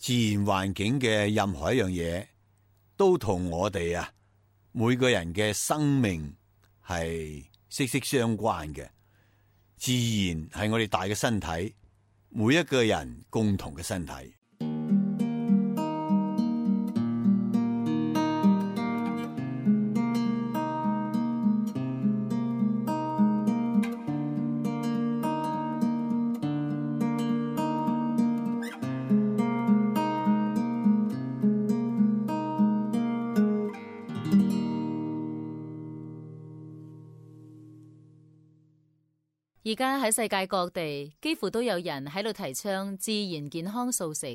自然環境嘅任何一樣嘢，都同我哋每個人嘅生命係息息相關嘅。自然係我哋大嘅身體，每一個人共同嘅身體。而家喺世界各地，幾乎都有人喺度提倡自然健康素食。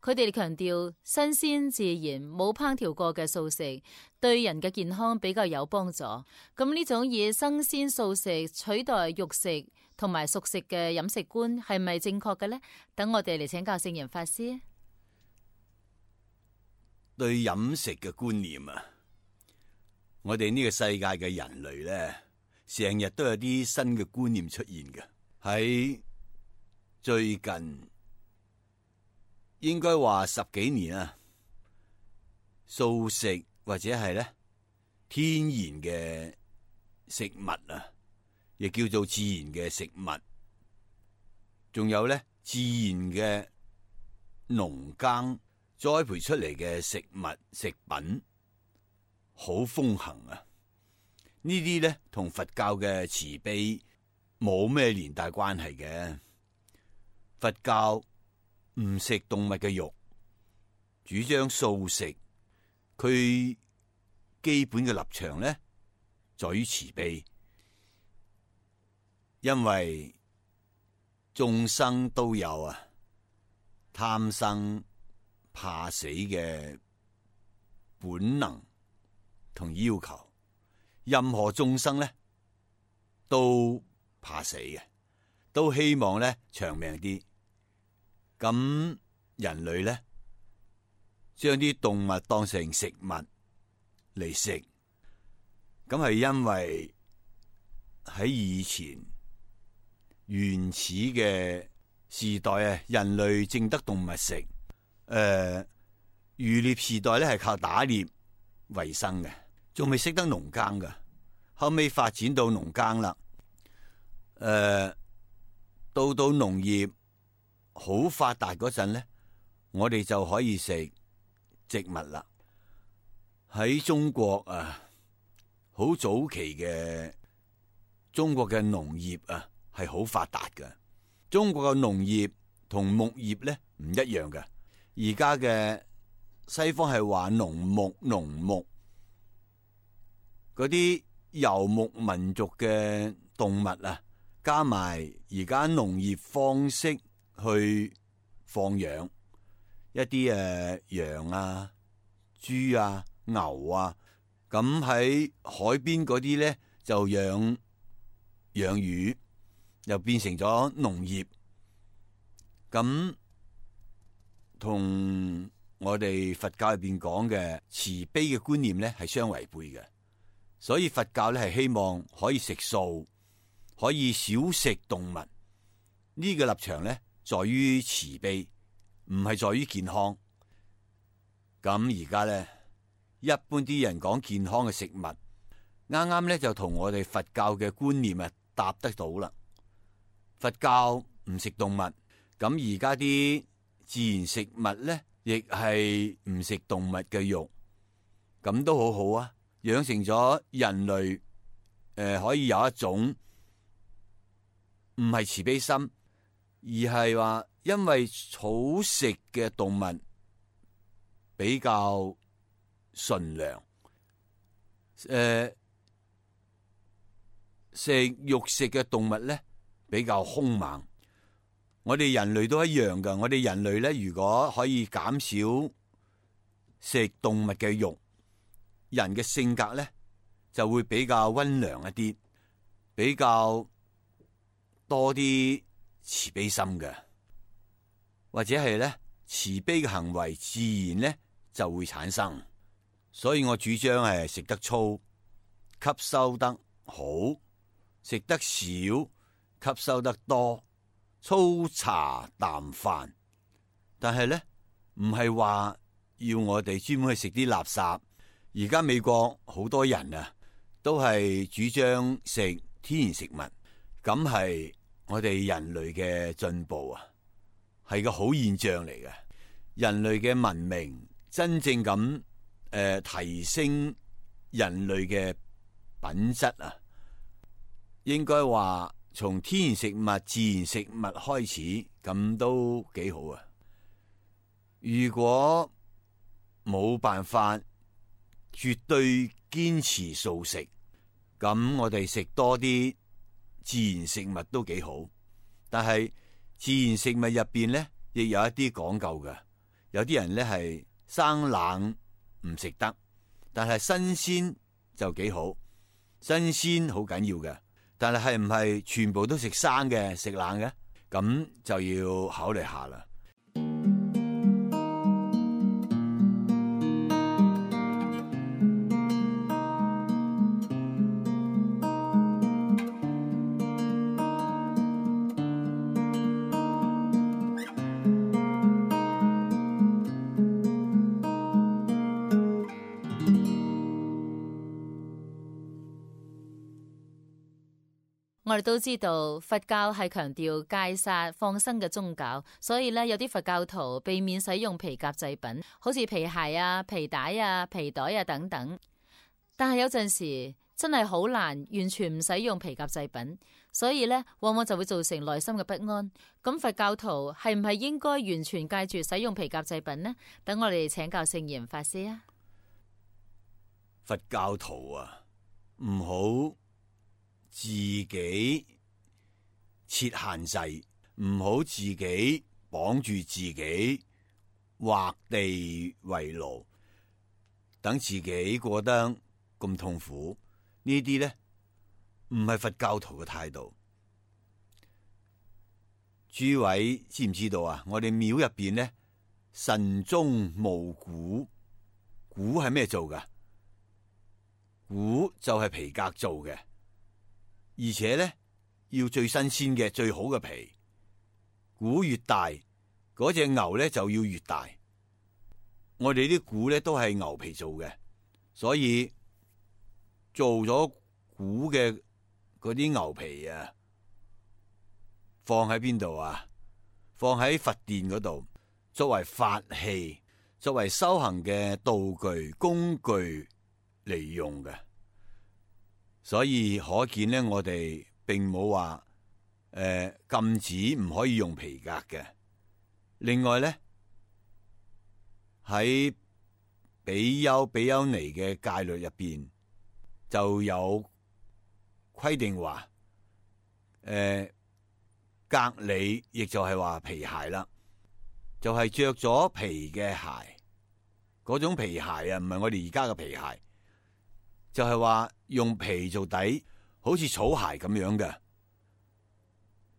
佢哋強調新鮮自然冇烹調過嘅素食對人嘅健康比較有幫助。咁呢種以生鮮素食取代肉食同埋熟食嘅飲食觀係咪正確嘅呢？等我哋嚟請教聖嚴法師。對飲食嘅觀念我哋呢個世界嘅人類呢，成日都有啲新嘅觀念出現嘅。喺最近應該話10幾年素食或者係咧天然嘅食物亦叫做自然嘅食物，仲有咧自然嘅農耕栽培出嚟嘅食物食品，好風行呢啲咧同佛教嘅慈悲冇咩連帶關係嘅。佛教唔食動物嘅肉，主張素食。佢基本嘅立場咧，在於慈悲，因為眾生都有貪生怕死嘅本能同要求。任何眾生咧都怕死嘅，都希望咧長命啲。咁人類咧將啲動物當成食物嚟食，咁係因為喺以前原始嘅時代人類淨得動物食。漁獵時代咧係靠打獵為生嘅，仲未識得農耕噶。後尾發展到農耕啦，到農業好發達嗰陣咧，我哋就可以食植物啦。喺中國好早期嘅中國嘅農業係好發達嘅。中國嘅農業同牧業咧唔一樣嘅。而家嘅西方係話農牧嗰啲游牧民族嘅動物加埋而家農業方式去放養一啲羊豬牛咁喺海邊嗰啲咧就養魚，又變成咗農業。咁同我哋佛教入邊講嘅慈悲嘅觀念咧係相違背嘅。所以佛教咧係希望可以食素，可以少食動物。呢個立場咧在於慈悲，唔係在於健康。咁而家咧一般啲人講健康嘅食物，啱啱咧就同我哋佛教嘅觀念搭得到啦。佛教唔食動物，咁而家啲自然食物咧亦係唔食動物嘅肉，咁都好好啊。養成咗人類可以有一種唔係慈悲心，而係話因為草食嘅動物比較純良，食肉食嘅動物咧比較兇猛。我哋人類都一樣噶。我哋人類咧如果可以減少食動物嘅肉，人嘅性格咧就會比較溫良一啲，比較多啲慈悲心嘅，或者係咧慈悲嘅行為自然咧就會產生。所以我主張係食得粗，吸收得好；食得少，吸收得多。粗茶淡飯，但係咧唔係話要我哋專門去食啲垃圾。而家美國好多人啊，都係主張食天然食物，咁係我哋人類嘅進步啊，係個好現象嚟嘅。人類嘅文明真正咁提升人類嘅品質啊，應該話從天然食物、自然食物開始，咁都幾好啊。如果冇辦法絕對堅持素食，咁我哋食多啲自然食物都幾好。但係自然食物入邊咧，亦有一啲講究嘅。有啲人咧係生冷唔食得，但係新鮮就幾好。新鮮好緊要嘅，但係唔係全部都食生嘅、食冷嘅？咁就要考慮下啦。我哋都知道佛教係強調戒殺放生嘅宗教，所以咧有啲佛教徒避免使用皮革製品，好似皮鞋啊、皮帶啊、皮袋啊等等。但係有陣時真係好難完全唔使用皮革製品，所以咧往往就會造成內心嘅不安。咁佛教徒係唔係應該完全戒絕使用皮革製品呢？等我哋請教聖嚴法師啊。佛教徒啊，唔好自己設限制，唔好自己綁住自己，畫地為牢，等自己過得咁痛苦。呢啲咧唔係佛教徒嘅態度。諸位知唔知道啊？我哋廟入邊咧，慎終無鼓。鼓係咩做噶？鼓就係皮革做嘅。而且咧，要最新鮮嘅、最好嘅皮。鼓越大，嗰隻牛咧就要越大。我哋啲鼓咧都係牛皮做嘅，所以做咗鼓嘅嗰啲牛皮啊，放喺邊度啊？放喺佛殿嗰度，作為法器，作為修行嘅道具、工具嚟用嘅。所以可見咧，我哋並冇話禁止唔可以用皮革嘅。另外咧，喺比丘尼嘅戒律入邊就有規定話，革履亦就係話皮鞋啦，就係着咗皮嘅鞋，嗰種皮鞋啊，唔係我哋而家嘅皮鞋。就係話用皮做底，好似草鞋咁樣嘅。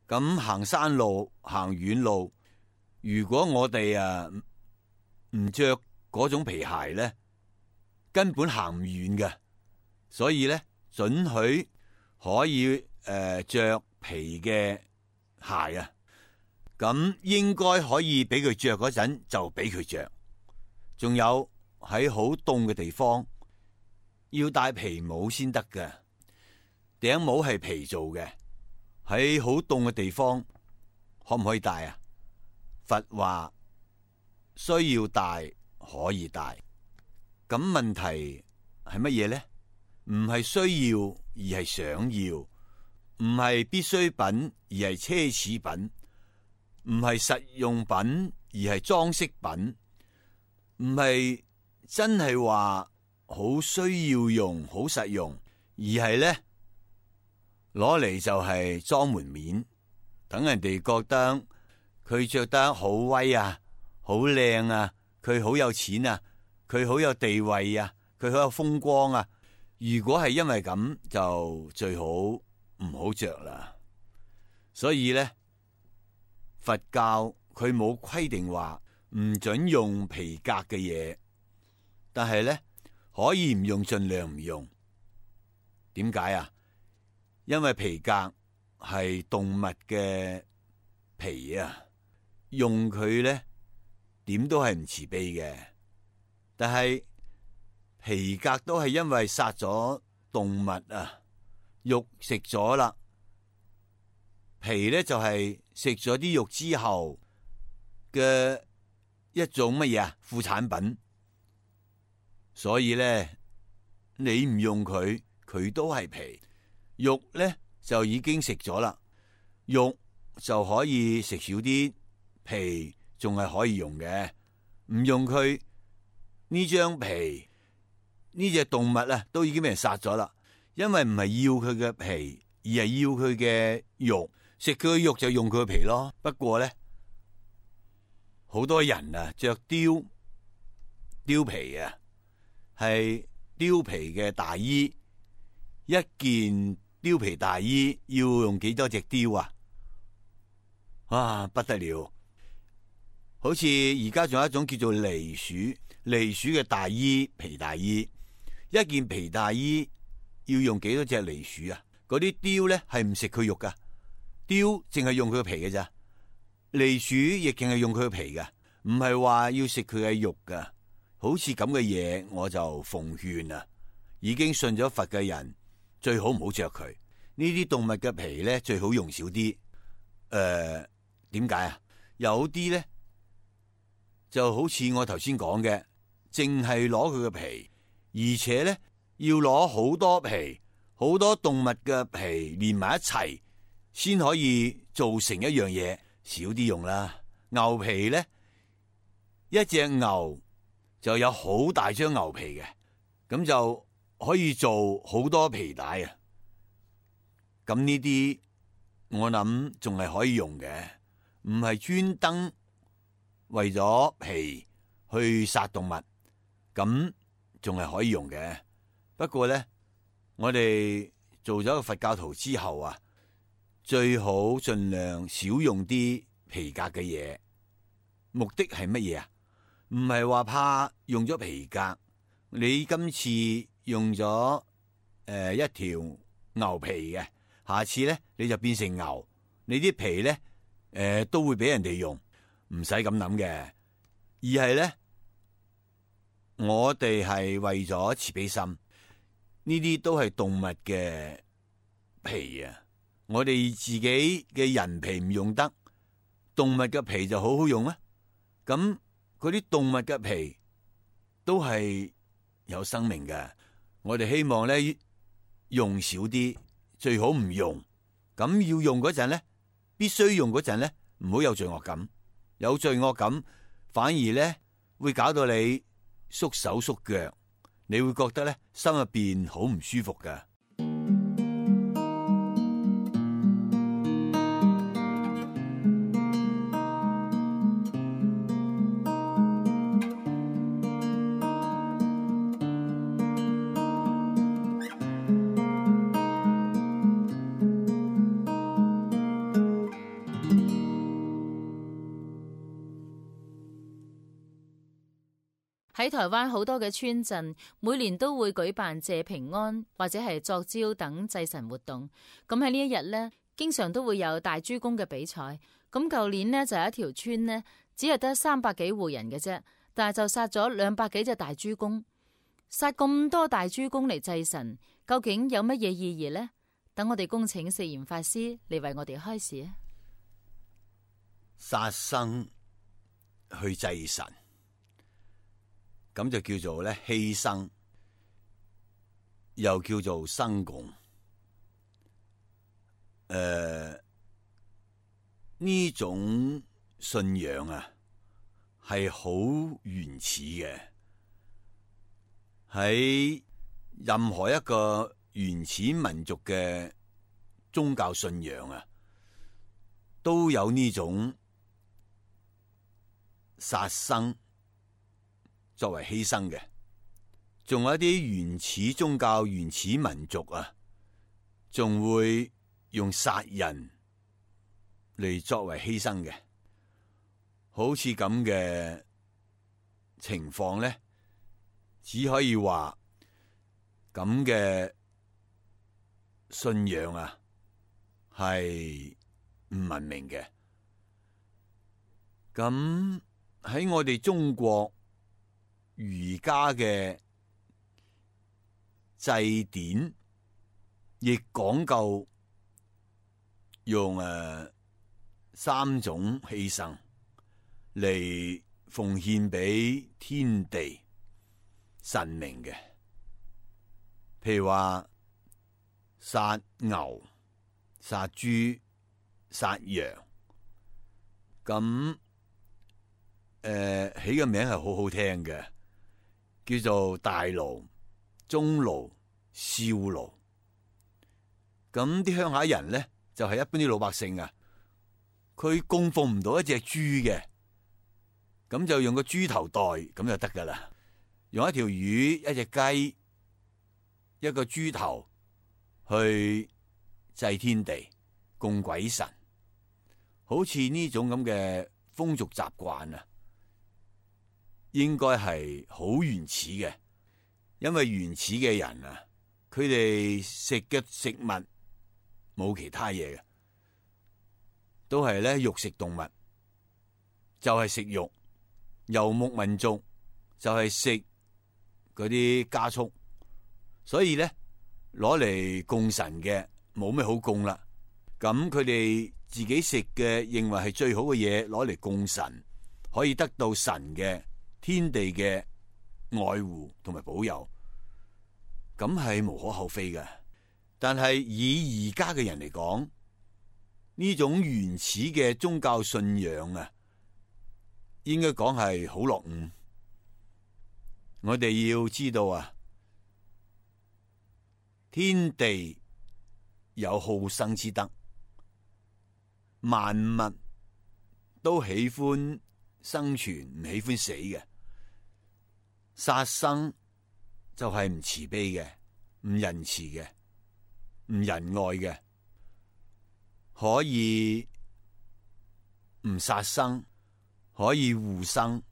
咁行山路、行遠路，如果我哋唔着嗰種皮鞋咧，根本行唔遠嘅。所以咧，准許可以着皮嘅鞋啊。咁應該可以俾佢着嗰陣就俾佢着。仲有喺好凍嘅地方，要戴皮帽先得嘅，頂帽係皮做嘅，喺好凍嘅地方可唔可以戴啊？佛話需要戴可以戴，咁問題係乜嘢咧？唔係需要而係想要，唔係必需品而係奢侈品，唔係實用品而係裝飾品，唔係真係話好需要用、好實用，而係咧攞嚟就係裝門面，等人哋覺得佢着得好威啊、好靚啊、佢好有錢啊、佢好有地位啊、佢好有風光啊。如果係因為咁，就最好唔好着啦。所以咧，佛教佢冇規定話唔准用皮革嘅嘢，但係咧，可以唔用，盡量唔用。點解啊？因為皮革係動物嘅皮啊，用佢咧點都係唔慈悲嘅。但係皮革都係因為殺咗動物啊，肉食咗啦，皮咧就係食咗啲肉之後嘅一種乜嘢啊？副產品。所以咧，你唔用佢，佢都係皮。肉咧就已經食咗啦，肉就可以食少啲，皮仲係可以用嘅。唔用佢呢張皮，呢隻動物啊都已經俾人殺咗啦。因為唔係要佢嘅皮，而係要佢嘅肉。食佢嘅肉就用佢嘅皮咯。不過咧，好多人啊着貂皮啊，係貂皮嘅大衣，一件貂皮大衣要用幾多隻貂啊？啊，不得了！好似而家仲有一種叫做狸鼠嘅大衣，皮大衣，一件皮大衣要用幾多隻狸鼠啊？嗰啲貂咧係唔食佢肉噶，貂淨係用佢嘅皮嘅咋，狸鼠亦淨係用佢嘅皮噶，唔係話要食佢嘅肉噶。好似咁嘅嘢，我就奉勸啊，已經信咗佛嘅人最好唔好着佢。呢啲動物嘅皮咧最好用少啲。點解啊？有啲咧就好似我頭先講嘅，淨係攞佢嘅皮，而且咧要攞好多皮，好多動物嘅皮連埋一齊，先可以做成一樣嘢。少啲用啦。牛皮咧，一隻牛就有好大張牛皮嘅，咁就可以做好多皮帶啊。咁呢啲我諗仲係可以用嘅，唔係專登為咗皮去殺動物，咁仲係可以用嘅。不過咧，我哋做咗個佛教徒之後啊，最好盡量少用啲皮革嘅嘢。目的係乜嘢啊？唔係話怕用咗皮革，你今次用咗一條牛皮嘅，下次咧你就變成牛，你啲皮咧都會俾人哋用，唔使咁諗嘅。而係咧，我哋係為咗慈悲心，呢啲都係動物嘅皮啊。我哋自己嘅人皮唔用得，動物嘅皮就好好用啊。咁嗰啲動物嘅皮都係有生命嘅，我哋希望咧用少啲，最好唔用。咁要用嗰陣咧，必須用嗰陣咧，唔好有罪惡感。有罪惡感反而咧會搞到你縮手縮腳，你會覺得咧心入邊好唔舒服㗎。喺台灣好多嘅村鎮，每年都會舉辦謝平安或者係作招等祭神活動。咁喺呢一日呢，經常都會有大豬公嘅比賽。咁舊年呢，就有一條村呢，只係得300幾戶人嘅啫，但係就殺咗200幾隻大豬公。殺咁多大豬公嚟祭神，究竟有乜嘢意義呢？等我哋恭請釋嚴法師嚟為我哋開示啊！殺生去祭神，咁就叫做咧犧牲，又叫做生共。呢種信仰啊，係好原始嘅。喺任何一個原始民族嘅宗教信仰啊，都有呢種殺生作為犧牲嘅。仲有一啲原始宗教、原始民族啊，仲會用殺人嚟作為犧牲嘅。好似咁嘅情況咧，只可以話咁嘅信仰啊，係唔文明嘅。咁喺我哋中國儒家嘅祭典，亦講究用3種犧牲嚟奉獻俾天地神明嘅，譬如話殺牛、殺豬、殺羊，咁起個名係好好聽嘅，叫做大爐、中爐、小爐。咁啲鄉下人咧，就係一般啲老百姓啊，佢供奉唔到一隻豬嘅，咁就用個豬頭袋咁就得噶啦。用一條魚、一隻雞、一個豬頭去祭天地、供鬼神，好似呢種咁嘅風俗習慣啊，應該係好原始嘅。因為原始嘅人啊，佢哋食嘅食物冇其他嘢嘅，都係咧肉食動物，就係食肉。游牧民族就係食嗰啲家畜，所以咧攞嚟供神嘅冇咩好供啦。咁佢哋自己食嘅認為係最好嘅嘢，攞嚟供神，可以得到神嘅天地嘅愛護同埋保佑，咁係無可厚非嘅。但係以而家嘅人嚟講，呢種原始嘅宗教信仰啊，應該講係好落伍。我哋要知道啊，天地有好生之德，萬物都喜歡生存，唔喜歡死嘅。殺生就係唔慈悲嘅，唔仁慈嘅，唔仁愛嘅。可以唔殺生，可以護生，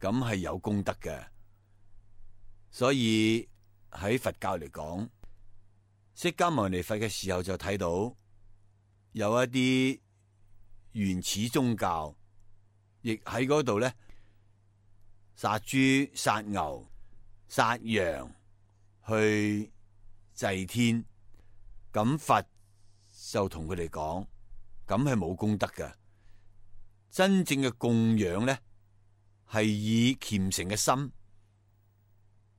咁係有功德嘅。所以喺佛教嚟講，釋迦牟尼佛嘅時候就睇到有一啲原始宗教，亦喺嗰度咧殺豬、殺牛、殺羊去祭天，咁佛就同佢哋講，咁係冇功德嘅。真正嘅供養咧，係以虔誠嘅心，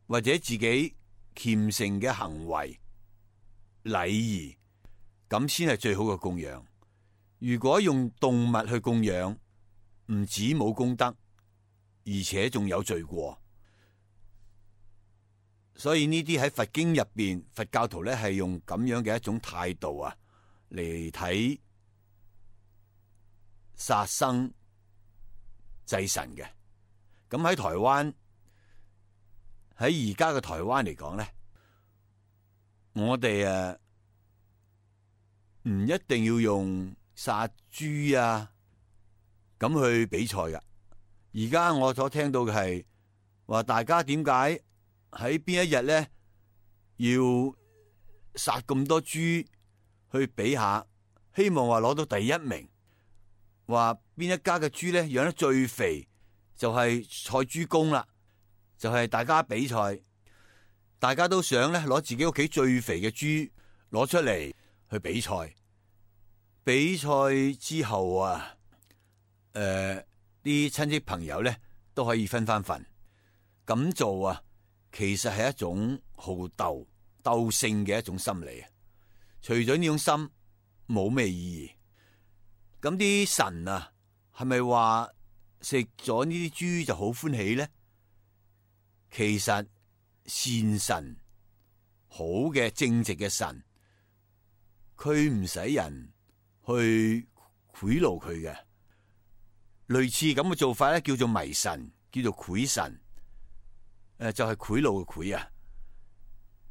或者自己虔誠嘅行為、禮儀，咁先係最好嘅供養。如果用動物去供養，唔止冇功德，而且仲有罪過。所以呢啲喺佛經入邊，佛教徒咧係用咁樣嘅一種態度啊嚟睇殺生祭神嘅。咁喺台灣，喺而家嘅台灣嚟講咧，我哋唔一定要用殺豬啊咁去比賽噶。而家我所聽到嘅係話，大家點解喺邊一日咧要殺咁多豬去比下，希望話攞到第一名。話邊一家嘅豬咧養得最肥，就係賽豬公啦，就係大家比賽，大家都想咧攞自己屋企最肥嘅豬攞出嚟去比賽。比賽之後啊，啲親戚朋友咧都可以分翻份。咁做啊，其實係一種好鬥勝嘅一種心理啊。除咗呢種心，冇咩意義。咁啲神啊，係咪話食咗呢啲豬就好歡喜咧？其實善神，好嘅正直嘅神，佢唔使人去賄賂佢嘅。類似咁嘅做法咧，叫做迷神，叫做賄神。就係賄賂嘅賄啊！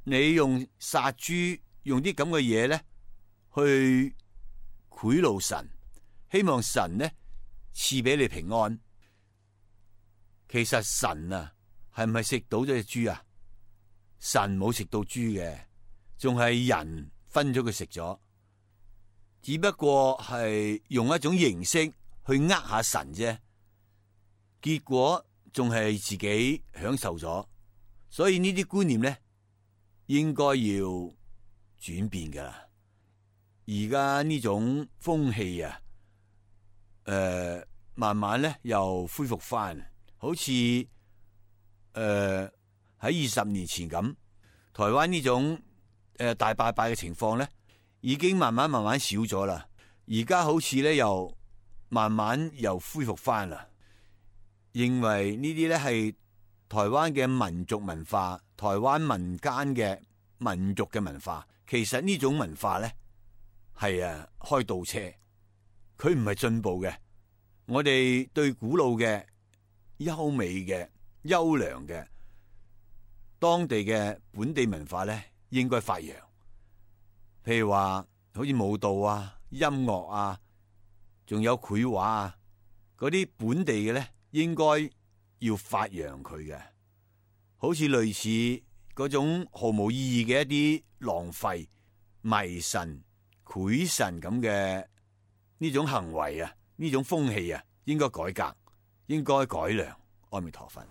你用殺豬，用啲咁嘅嘢咧去賄賂神，希望神咧賜俾你平安。其實神啊，係唔係食到咗隻豬啊？神冇食到豬嘅，仲係人分咗佢食咗，只不過係用一種形式去呃下神啫。結果仲係自己享受咗，所以呢啲觀念咧應該要轉變噶啦。而家呢種風氣啊，慢慢咧又恢復翻，好似喺20年前咁，台灣呢種大拜拜嘅情況咧，已經慢慢少咗啦。而家好似咧又慢慢又恢復翻啦。認為呢啲咧係台灣嘅民族文化，台灣民間嘅民族嘅文化。其實呢種文化咧係開倒車，佢唔係進步嘅。我哋對古老嘅、優美嘅、優良嘅當地嘅本地文化咧，應該發揚。譬如話好似舞蹈啊、音樂啊，仲有繪畫啊，嗰啲本地嘅咧，應該要發揚佢嘅。好似類似嗰種毫無意義嘅一啲浪費、迷神、賄神咁嘅呢種行為啊，呢種風氣啊，應該改革，應該改良。阿彌陀佛。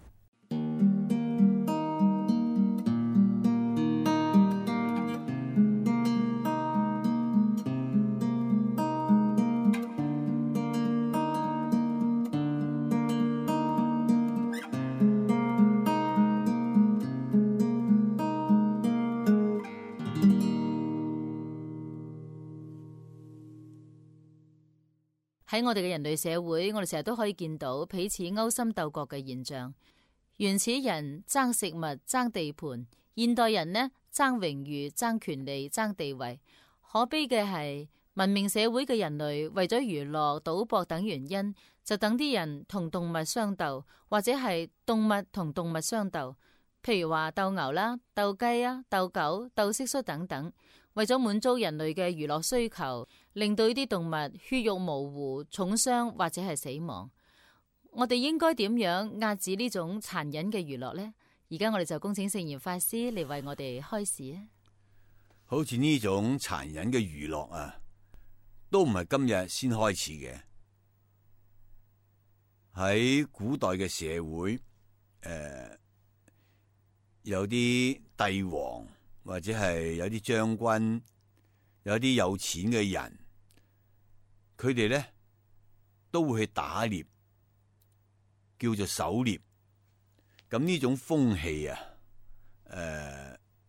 喺我哋嘅人類社會，我哋成日都可以見到彼此勾心鬥角嘅現象。原始人爭食物、爭地盤，現代人呢爭榮譽、爭權利、爭地位。可悲嘅係，文明社會嘅人類為咗娛樂、賭博等原因，就等啲人同動物相鬥，或者係動物同動物相鬥。譬如話鬥牛啦、鬥雞啊、鬥狗、鬥蟋蟀等等。為咗滿足人類嘅娛樂需求，令到呢啲動物血肉模糊、重傷或者係死亡。我哋應該點樣遏止呢種殘忍嘅娛樂呢？而家我哋就恭請聖嚴法師嚟為我哋開示啊！好似呢種殘忍嘅娛樂啊，都唔係今日先開始嘅。喺古代嘅社會，有啲帝王。或者係有啲將軍，有啲有錢嘅人，佢哋咧都會去打獵，叫做狩獵。咁呢種風氣啊，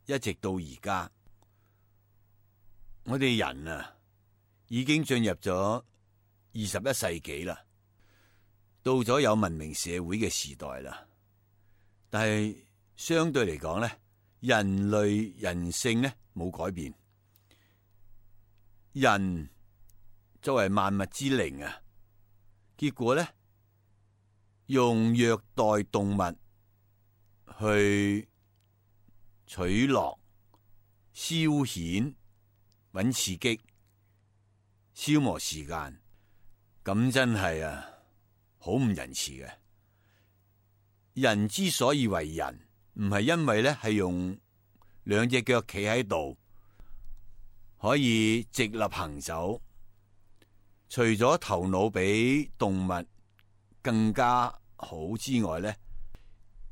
一直到而家，我哋人啊已經進入咗21世紀啦，到咗有文明社會嘅時代啦。但係相對嚟講咧，人類人性呢冇改變，人作為萬物之靈啊，結果呢，用虐待動物去取樂、消遣、搵刺激、消磨時間，咁真係好唔仁慈嘅。人之所以為人，唔係因為咧係用兩隻腳企喺度可以直立行走，除咗頭腦比動物更加好之外咧，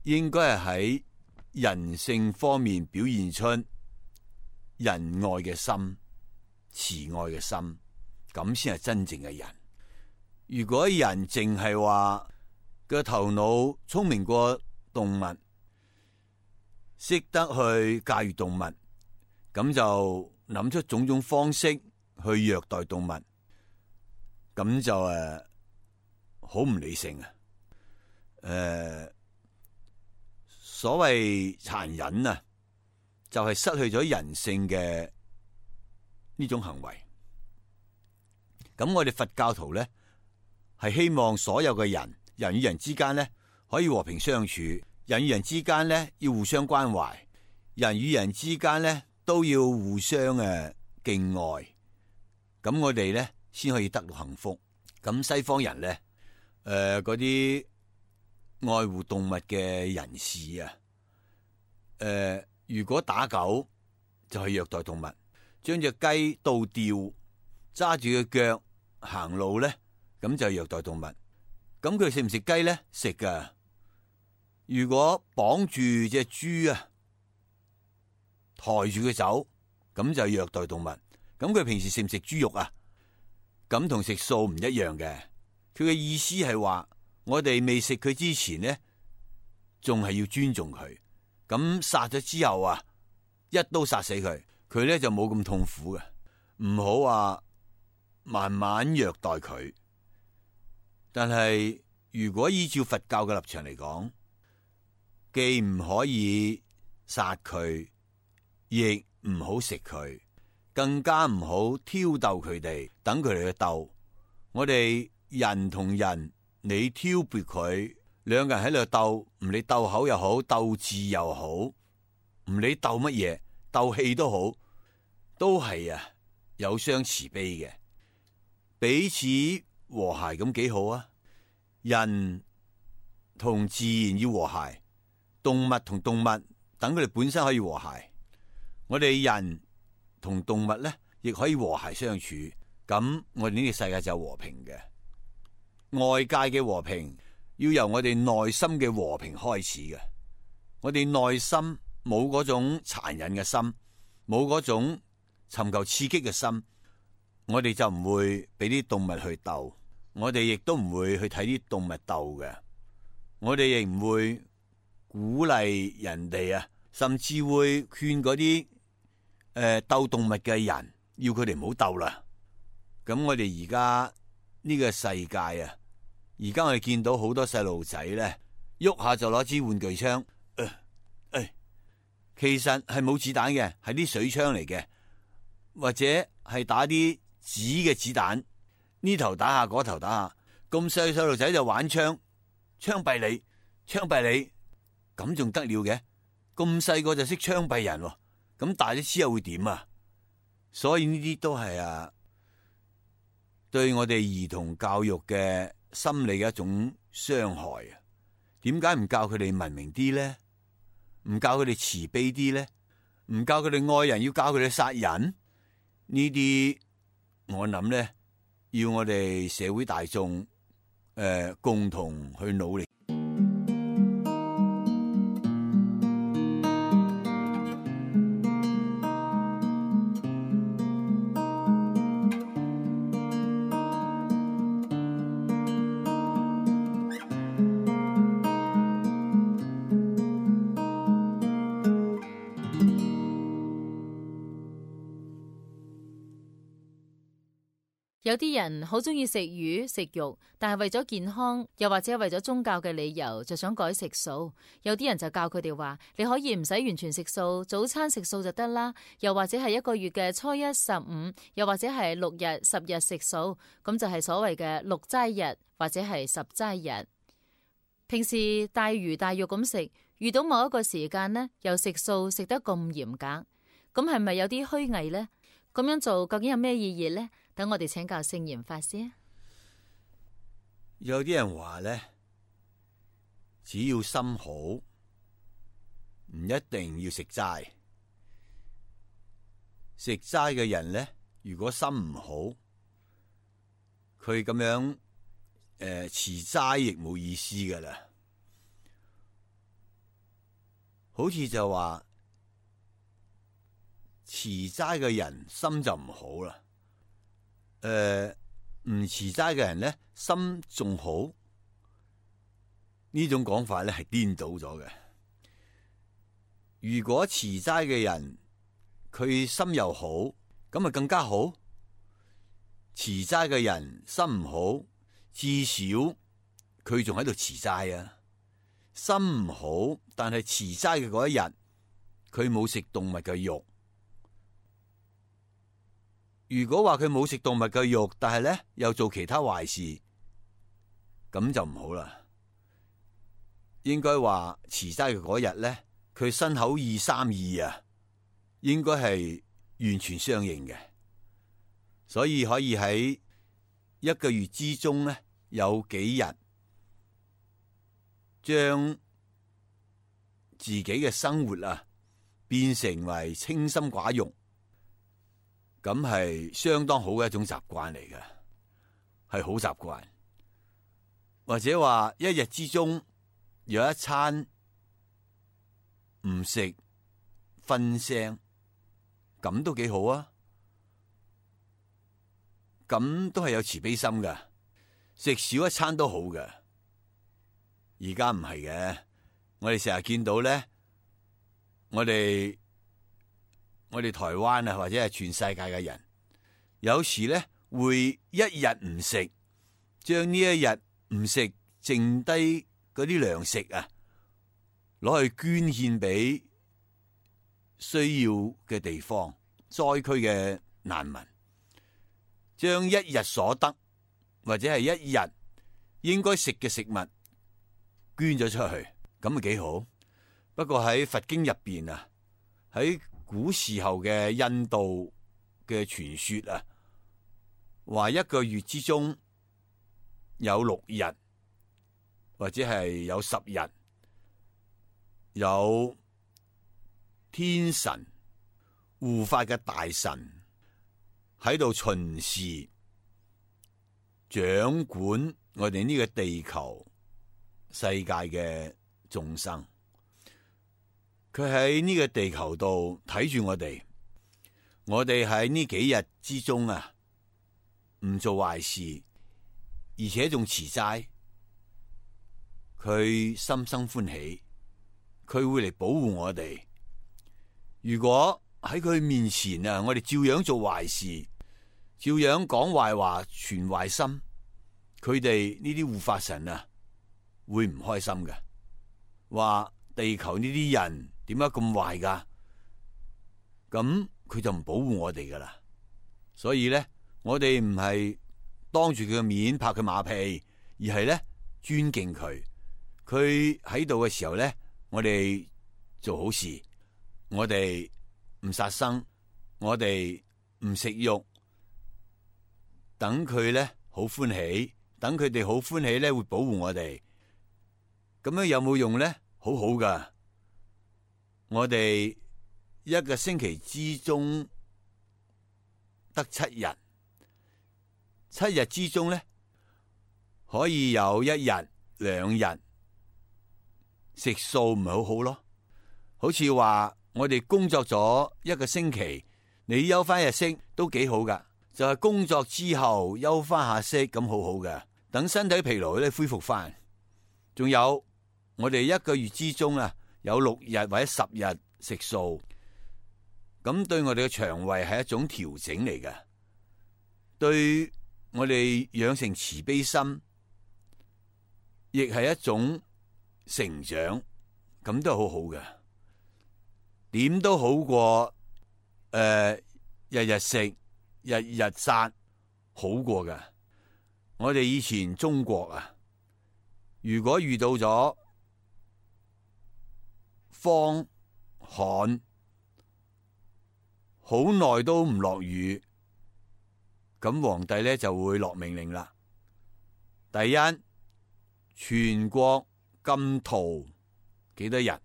應該係喺人性方面表現出仁愛嘅心、慈愛嘅心，咁先係真正嘅人。如果人淨係話個頭腦聰明過動物，識得去駕馭動物，咁就諗出種種方式去虐待動物，咁就好唔理性啊！所謂殘忍啊，就係失去咗人性嘅呢種行為。咁我哋佛教徒咧，係希望所有嘅人，人與人之間咧可以和平相處。人與人之間咧要互相關懷，人與人之間咧都要互相敬愛，咁我哋咧先可以得到幸福。咁西方人咧，嗰啲愛護動物嘅人士啊，如果打狗就係虐待動物，將隻雞倒吊，揸住個腳行路咧，咁就係虐待動物。咁佢食唔食雞咧？食噶。如果綁住隻豬啊，抬住佢走，咁就虐待動物。咁佢平時食唔食豬肉啊？咁同食素唔一樣嘅。佢嘅意思係話，我哋未食佢之前呢，仲係要尊重佢。咁殺咗之後啊，一刀殺死佢，佢咧就冇咁痛苦嘅。唔好話慢慢虐待佢。但係如果依照佛教嘅立場嚟講，既唔可以殺佢，亦唔好食佢，更加唔好挑逗佢哋，等佢哋去鬥。我哋人同人，你挑撥佢，兩個人喺度鬥，唔理鬥口又好，鬥智又好，唔理鬥乜嘢，鬥氣都好，都係啊有相慈悲嘅，彼此和諧咁幾好啊！人同自然要和諧，動物同動物等佢哋本身可以和諧，我哋人同動物咧亦可以和諧相處，咁我哋呢個世界就係和平嘅。外界嘅和平要由我哋內心嘅和平開始嘅。我哋內心冇嗰種殘忍嘅心，冇嗰種尋求刺激嘅心，我哋就唔會俾啲動物去鬥，我哋亦都唔會去睇啲動物鬥嘅，我哋亦唔會鼓勵人哋啊，甚至會勸嗰啲鬥動物嘅人，要佢哋唔好鬥啦。咁我哋而家呢個世界啊，而家我哋見到好多細路仔咧，喐下就攞支玩具槍，其實係冇子彈嘅，係啲水槍嚟嘅，或者係打啲紙嘅子彈，呢頭打下嗰頭打下，咁細細路仔就玩槍，槍斃你，槍斃你，咁仲得了嘅？咁細個就識槍斃人，咁大咗之後會點啊？所以呢啲都係啊，對我哋兒童教育嘅心理嘅一種傷害啊！點解唔教佢哋文明啲咧？唔教佢哋慈悲啲咧？唔教佢哋愛人，要教佢哋殺人？呢啲我諗咧，要我哋社會大眾共同去努力。有啲人好中意食魚食肉，但係為咗健康，又或者為咗宗教嘅理由，就想改食素。有啲人就教佢哋話，你可以唔使完全食素，早餐食素就得啦。又或者係一個月嘅初一、15，又或者係6日、10日食素，咁就係所謂嘅6齋日或者係10齋日。平時大魚大肉咁食，遇到某一個時間呢，又食素食得咁嚴格，咁係咪有啲虛偽呢？咁樣做究竟有咩意義呢？等我哋請教聖嚴法師。有啲人話咧，只要心好，唔一定要食齋。食齋嘅人咧，如果心唔好，佢咁樣持齋亦冇意思噶啦。好似就話持齋嘅人心就唔好啦。唔持齋嘅人咧，心仲好，呢種講法咧係顛倒咗嘅。如果持齋嘅人佢心又好，咁咪更加好。持齋嘅人心唔好，至少佢仲喺度持齋啊。心唔好，但係持齋嘅嗰一日，佢冇食動物嘅肉。如果話佢冇食動物嘅肉，但係咧又做其他壞事，咁就唔好啦。應該話持齋嘅嗰日咧，佢身口意三意啊，應該係完全相應嘅。所以可以喺一個月之中咧，有幾日將自己嘅生活啊變成為清心寡欲。咁係相當好嘅一種習慣嚟嘅，係好習慣。或者話一日之中有一餐唔食瞓聲，咁都幾好啊！咁都係有慈悲心㗎，食少一餐都好㗎。而家唔係嘅，我哋成日見到咧，我哋台灣啊，或者係全世界嘅人，有時咧會一日唔食，將呢一日唔食剩低嗰啲糧食啊，攞去捐獻俾需要嘅地方、災區嘅難民，將一日所得或者係一日應該食嘅食物捐咗出去，咁咪幾好。不過喺佛經入邊啊，喺古時候嘅印度嘅傳說啊，話一個月之中有6日或者係有10日，有天神護法嘅大神喺度巡視掌管我哋呢個地球世界嘅眾生，佢喺呢個地球度睇住我哋喺呢幾日之中啊，唔做壞事，而且仲持齋，佢心生歡喜，佢會嚟保護我哋。如果喺佢面前啊，我哋照樣做壞事，照樣講壞話，存壞心，佢哋呢啲護法神啊，會唔開心嘅，話地球呢啲人點解咁壞噶？咁佢就唔保護我哋噶啦。所以咧，我哋唔係當住佢嘅面拍佢馬屁，而係咧尊敬佢。佢喺度嘅時候咧，我哋做好事，我哋唔殺生，我哋唔食肉，等佢咧好歡喜，等佢哋好歡喜咧會保護我哋。咁樣有冇用咧？好好噶。我哋一個星期之中得7日，7日之中咧可以有1日、2日食素，唔係好好咯？好似話我哋工作咗一個星期，你休翻日息都幾好噶，就係工作之後休翻下息，咁好好嘅，等身體疲勞咧恢復翻。仲有我哋一個月之中啊，有6日或者10日食素，咁對我哋嘅腸胃係一種調整嚟嘅，對我哋養成慈悲心，亦係一種成長，咁都係好好嘅。點都好過日日食、日日殺，好過㗎。我哋以前中國啊，如果遇到咗荒旱，好耐都唔落雨，咁皇帝咧就會落命令啦。第一，全國禁屠幾多日？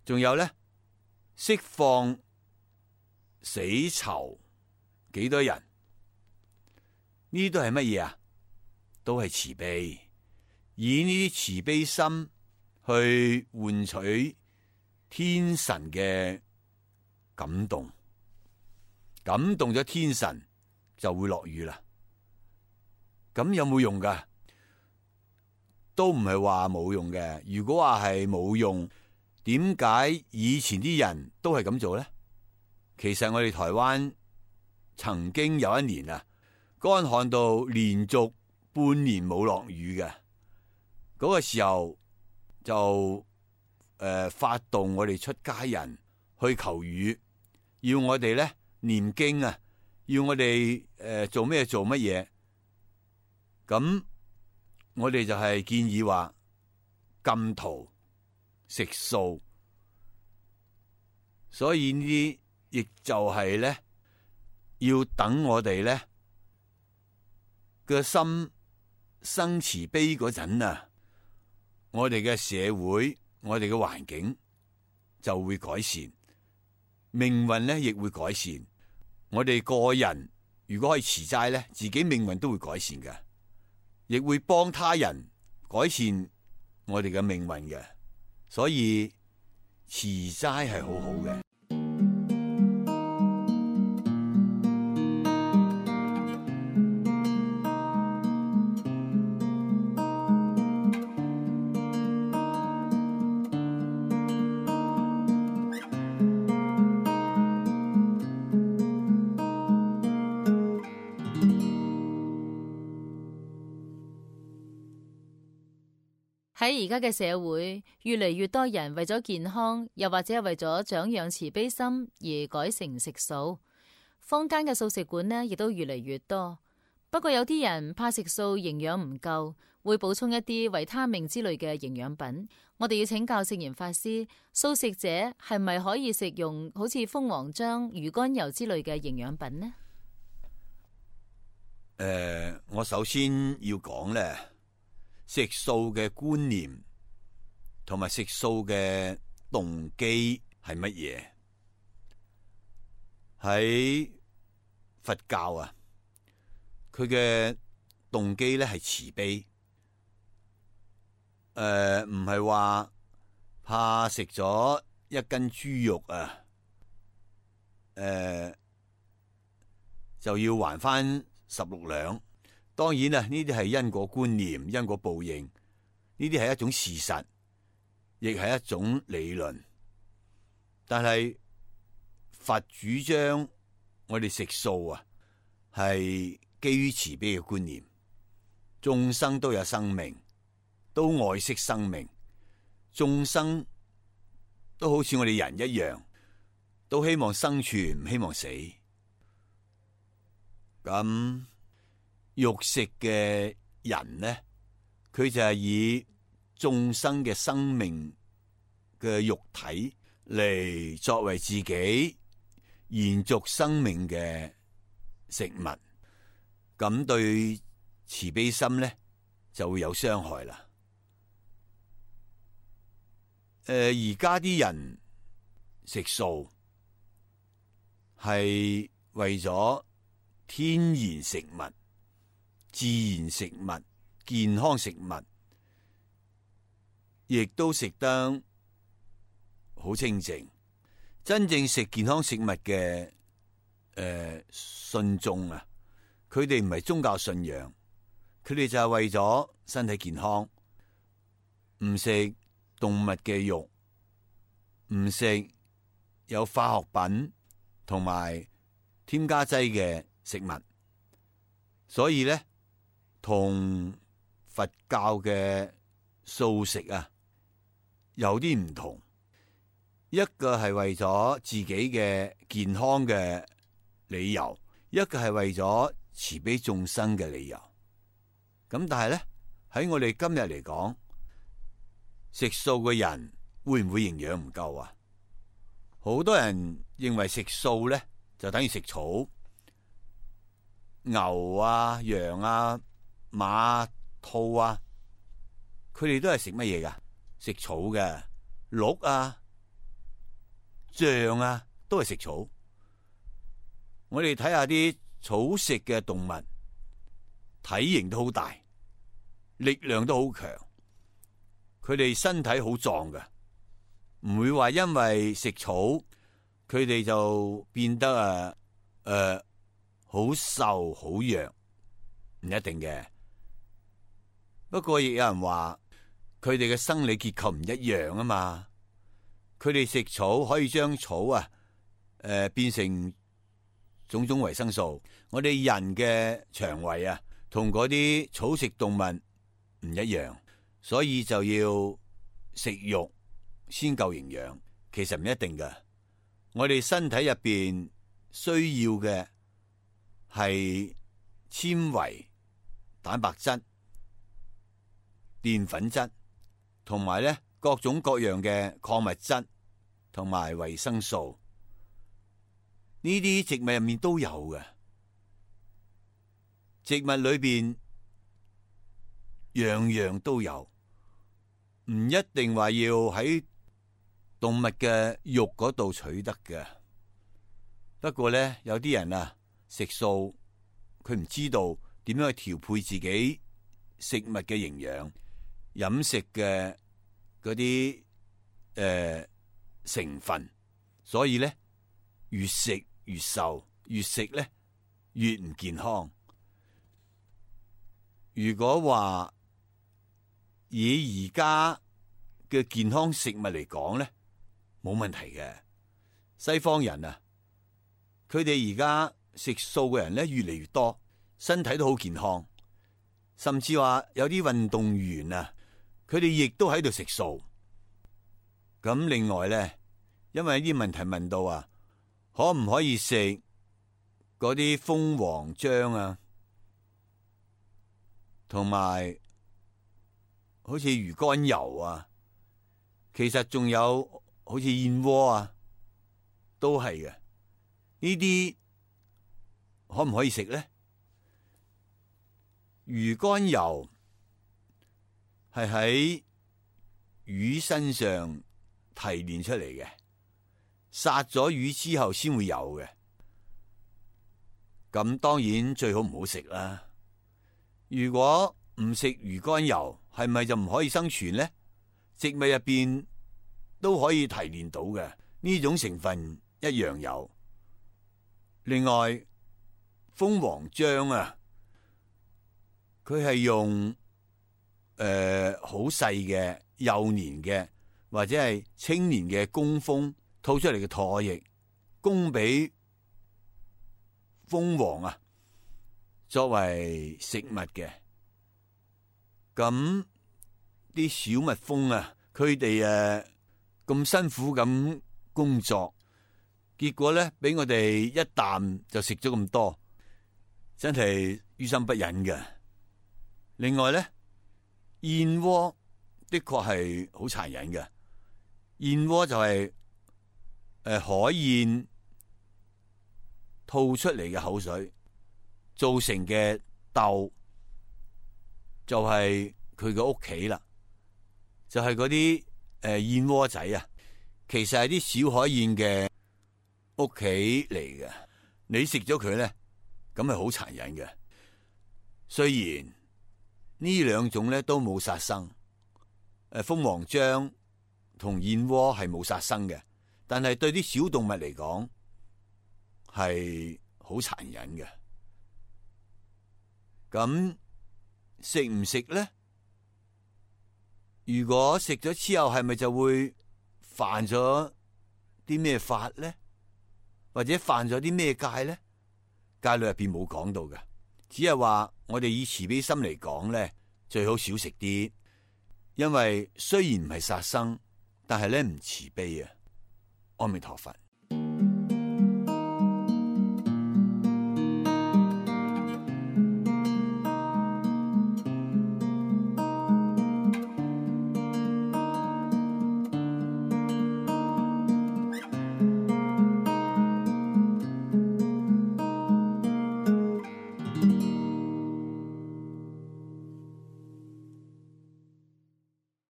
仲有咧，釋放死囚幾多人？呢都係乜嘢啊？都係慈悲，以呢啲慈悲心去換取天神嘅感動，感動咗天神就會落雨啦。咁有冇用噶？都唔係話冇用嘅。如果話係冇用，點解以前啲人都係咁做咧？其實我哋台灣曾經有一年啊，乾旱到連續半年冇落雨嘅，嗰個時候就發動我哋出家人去求雨，要我哋咧念經啊，要我哋做乜嘢，咁我哋就係建議話禁屠食素，所以呢啲亦就係咧要等我哋咧個心生慈悲嗰陣啊，我哋嘅社會、我哋嘅環境就會改善，命運咧亦會改善。我哋個人如果可以持齋咧，自己命運都會改善嘅。亦會幫他人改善我哋嘅命運嘅。所以持齋係好好嘅。喺而家嘅社會，越嚟越多人為咗健康，又或者係為咗長養慈悲心而改成食素。坊間嘅素食館呢，亦都越嚟越多。不過有啲人怕食素營養唔夠，會補充一啲維他命之類嘅營養品。我哋要請教聖嚴法師，素食者係咪可以食用好似蜂王漿、魚肝油之類嘅營養品呢？我首先要講咧，食素嘅觀念同埋食素嘅動機係乜嘢？喺佛教啊，佢嘅動機咧係慈悲，唔係話怕食咗一斤豬肉啊，就要還翻16兩。當然啦，呢啲係因果觀念、因果報應，呢啲係一種事實，亦係一種理論。但係佛主張我哋食素啊，係基於慈悲嘅觀念，眾生都有生命，都愛惜生命，眾生都好似我哋人一樣，都希望生存，唔希望死。咁肉食嘅人呢，佢就係以眾生嘅生命嘅肉體嚟作為自己延續生命嘅食物，咁對慈悲心呢就會有傷害啦。而家啲人食素係為咗天然食物、自然食物、健康食物，亦都食得好清淨。真正食健康食物嘅信眾啊，佢哋唔係宗教信仰，佢哋就係為咗身體健康，唔食動物嘅肉，唔食有化學品同埋添加劑嘅食物。所以咧，同佛教嘅素食啊有啲唔同。一個係為咗自己嘅健康嘅理由，一個係為咗慈悲眾生嘅理由。咁但係咧，喺我哋今日嚟講，食素嘅人會唔會營養唔夠啊？好多人認為食素咧就等於食草，牛啊、羊啊、馬、兔啊，佢哋都係食乜嘢噶？食草嘅，鹿啊、象啊，都係食草。我哋睇下啲草食嘅動物，體型都好大，力量都好強，佢哋身體好壯嘅，唔會話因為食草，佢哋就變得好瘦好弱，唔一定嘅。不過亦有人話佢哋嘅生理結構唔一樣啊嘛。佢哋食草可以將草變成種種維生素。我哋人嘅腸胃啊，同嗰啲草食動物唔一樣，所以就要食肉先夠營養。其實唔一定㗎，我哋身體入邊需要嘅係纖維、蛋白質、澱粉質，同埋咧各種各樣嘅礦物質同埋維生素。呢啲植物入面都有嘅。植物裏邊樣樣都有，唔一定話要喺動物嘅肉嗰度取得嘅。不過咧，有啲人啊食素，佢唔知道點樣去調配自己食物嘅營養、飲食嘅嗰啲成分，所以咧越食越瘦，越食咧越唔健康。如果話以而家嘅健康食物嚟講咧，冇問題嘅。西方人啊，佢哋而家食素嘅人咧越嚟越多，身體都好健康，甚至話有啲運動員啊，佢哋亦都喺度食素。咁另外咧，因為啲問題問到啊，可唔可以食嗰啲蜂王漿啊，同埋好似魚肝油啊，其實仲有好似燕窩啊，都係嘅。呢啲可唔可以食咧？魚肝油係喺魚身上提煉出嚟嘅，殺咗魚之後先會有嘅。咁當然最好唔好食啦。如果唔食魚肝油，係咪就唔可以生存咧？植物入邊都可以提煉到嘅，呢種成分一樣有。另外，蜂王漿啊，佢係用好細嘅幼年嘅或者係青年嘅工蜂吐出嚟嘅唾液，供俾蜂王啊作為食物嘅。咁啲小蜜蜂啊，佢哋咁辛苦咁工作，結果咧俾我哋一啖就食咗咁多，真係於心不忍嘅。另外咧，燕窩的確係好殘忍嘅。燕窩就係海燕吐出嚟嘅口水造成嘅竇，就係佢嘅屋企啦，就係嗰啲燕窩仔啊，其實係啲小海燕嘅屋企嚟嘅。你食咗佢咧，咁係好殘忍嘅。雖然呢兩種咧都冇殺生，蜂王漿同燕窩係冇殺生嘅，但係對啲小動物嚟講係好殘忍嘅。咁食唔食咧？如果食咗之後，係咪就會犯咗啲咩法咧？或者犯咗啲咩戒咧？戒律入邊冇講到嘅，只係話我哋以慈悲心嚟講咧，最好少食啲，因為雖然唔係殺生，但係咧唔慈悲啊。阿彌陀佛。